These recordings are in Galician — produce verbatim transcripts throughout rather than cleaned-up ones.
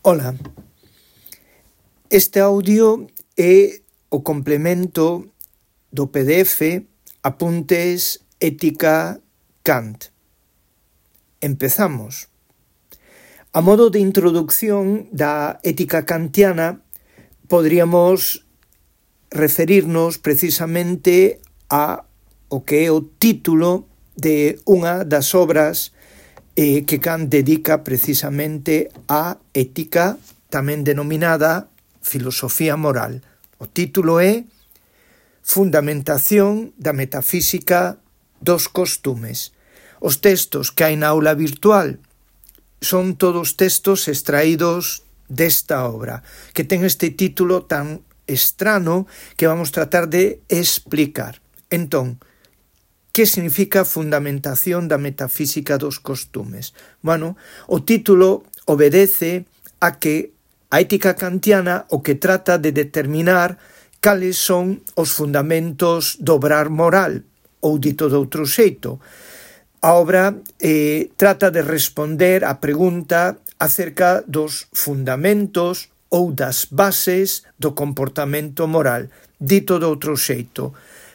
Ola, este audio é o complemento do P D F Apuntes Ética Kant. Empezamos. A modo de introducción da ética kantiana, podríamos referirnos precisamente a o que é o título de unha das obras eh, que Kant dedica precisamente á ética, tamén denominada filosofía moral. O título é Fundamentación da metafísica dos costumes. Os textos que hai na aula virtual son todos textos extraídos desta obra, que ten este título tan estrano que vamos tratar de explicar. Entón, que significa fundamentación da metafísica dos costumes? Bueno, o título obedece a que a ética kantiana o que trata de determinar cales son os fundamentos do obrar moral, ou dito de outro xeito. A obra eh, trata de responder á pregunta acerca dos fundamentos ou das bases do comportamento moral. Dito de outro xeito,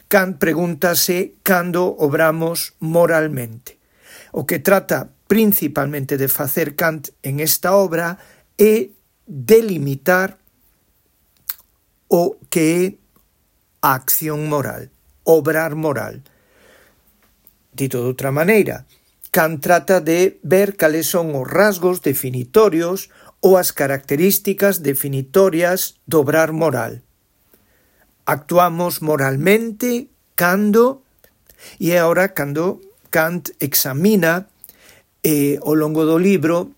Kant pregúntase cando obramos moralmente. O que trata principalmente de facer Kant en esta obra é delimitar o que é a acción moral, obrar moral. Dito de outra maneira, Kant trata de ver cales son os rasgos definitorios ou as características definitorias do obrar moral. Actuamos moralmente cando, e é agora cando Kant examina eh, ao longo do libro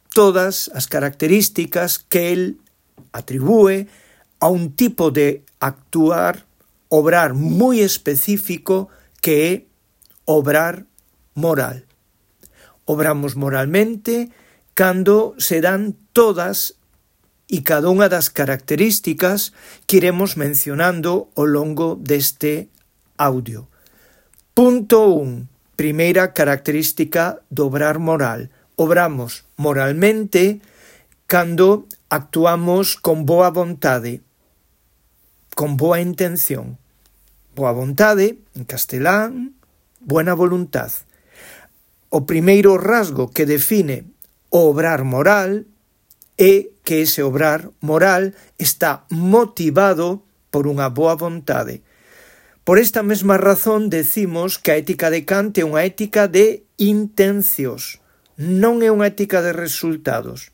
todas as características que el atribúe a un tipo de actuar, obrar moi específico que é obrar moral. Obramos moralmente cando se dan todas e cada unha das características que iremos mencionando ao longo deste audio. Punto un. Primeira característica do obrar moral. Obramos moralmente cando actuamos con boa vontade, con boa intención. Boa vontade, en castelán, buena voluntad. O primeiro rasgo que define o obrar moral é que ese obrar moral está motivado por unha boa vontade. Por esta mesma razón decimos que a ética de Kant é unha ética de intencións, non é unha ética de resultados.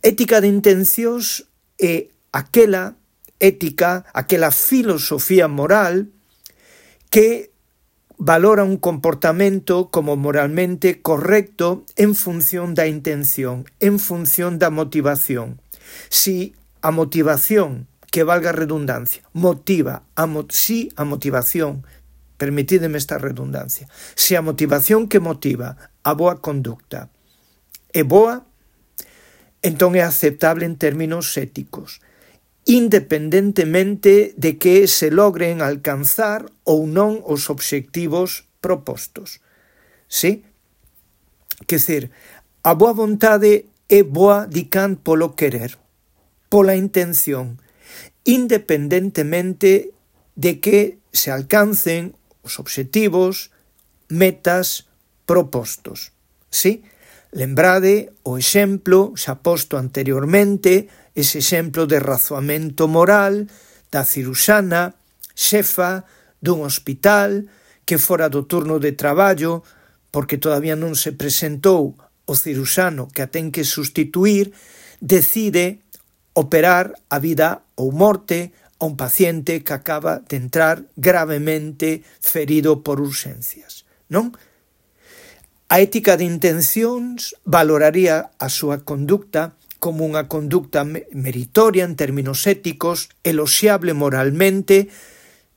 Ética de intencións é aquela ética, aquela filosofía moral que valora un comportamento como moralmente correcto en función da intención, en función da motivación. Si a motivación, que valga a redundancia, motiva, a mo- si a motivación, permitídeme esta redundancia, si a motivación que motiva a boa conducta é boa, entón é aceptable en términos éticos, independentemente de que se logren alcanzar ou non os obxectivos propostos. Sí? Quer dizer, a boa vontade é boa, di Kant, polo querer, pola intención, independentemente de que se alcancen os obxectivos, metas propostos. Sí? Lembrade o exemplo xa posto anteriormente, ese exemplo de razoamento moral da ciruxana, xefa dun hospital que fora do turno de traballo porque todavía non se presentou o ciruxano que a ten que sustituir, decide operar a vida ou morte a un paciente que acaba de entrar gravemente ferido por urxencias, non? A ética de intencións valoraría a súa conducta como unha conducta meritoria en términos éticos, eloxiable moralmente,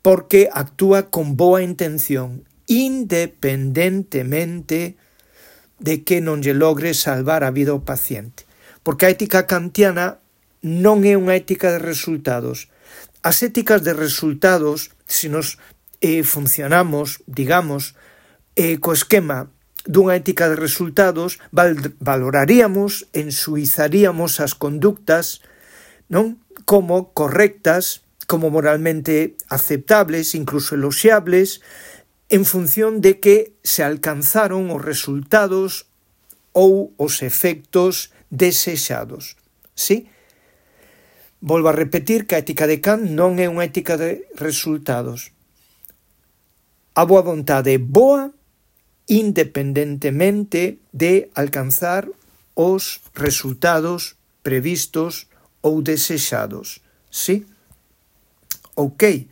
porque actúa con boa intención, independentemente de que non lle logre salvar a vida ao paciente. Porque a ética kantiana non é unha ética de resultados. As éticas de resultados, se nos eh, funcionamos, digamos, eh, co esquema dunha ética de resultados, val- valoraríamos, ensuizaríamos as conductas, non? Como correctas, como moralmente aceptables, incluso eloxiables, en función de que se alcanzaron os resultados ou os efectos desexados. Sí? Volvo a repetir que a ética de Kant non é unha ética de resultados. A boa vontade é boa independentemente de alcanzar os resultados previstos ou desexados. Sí? Ok.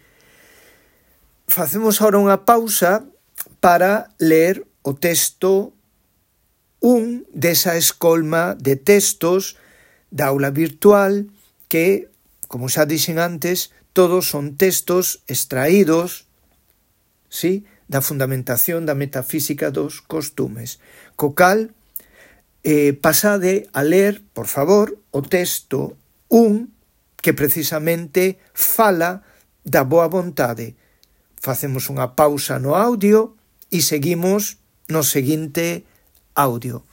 Facemos agora unha pausa para ler o texto un desa escolma de textos da aula virtual que, como xa dixen antes, todos son textos extraídos, sí, da fundamentación da metafísica dos costumes. Co cal, eh, pasade a ler, por favor, o texto un que precisamente fala da boa vontade. Facemos unha pausa no audio e seguimos no seguinte audio.